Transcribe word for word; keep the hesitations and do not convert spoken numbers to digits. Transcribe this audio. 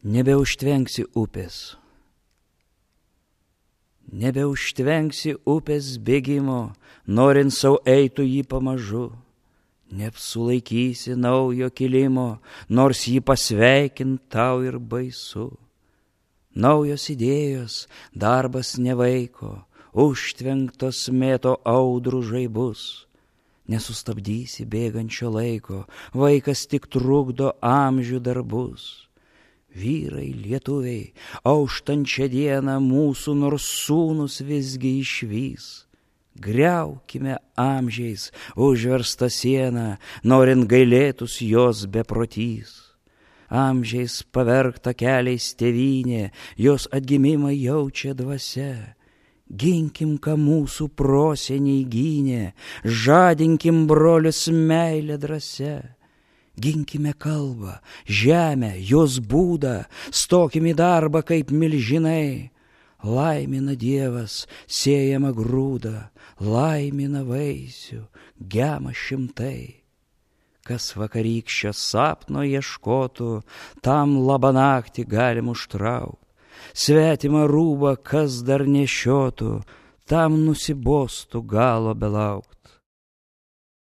Nebeužtvenksi upės. Nebeužtvenksi upės bėgimo, norint sau eitų jį pamažu. Neapsulaikysi naujo kilimo, nors jį pasveikint tau ir baisu. Naujos idėjos, darbas nevaiko, užtvenktos mėto audrų žaibus. Nesustabdysi bėgančio laiko, vaikas tik trukdo amžių darbus. Vyrai, lietuviai, auštančią dieną mūsų nors sūnus visgi išvys. Griaukime amžiais užverstą sieną, norint gailėtus jos beprotys. Amžiais pavergta keliais tėvynė, jos atgimimą jaučia dvasia. Ginkim, ką mūsų proseniai gynė, žadinkim brolius meilę drąsia. Ginkime kalbą, žemę, jos būdą, stokim į darbą kaip milžinai. Laimina Dievas siejama grūdą, laimina vaisių, gema šimtai. Kas vakarykščio sapno ieškotų, tam labanaktį galim užtraukt. Svetimą rūbą, kas dar nešiotų, tam nusibostų galo belaukt.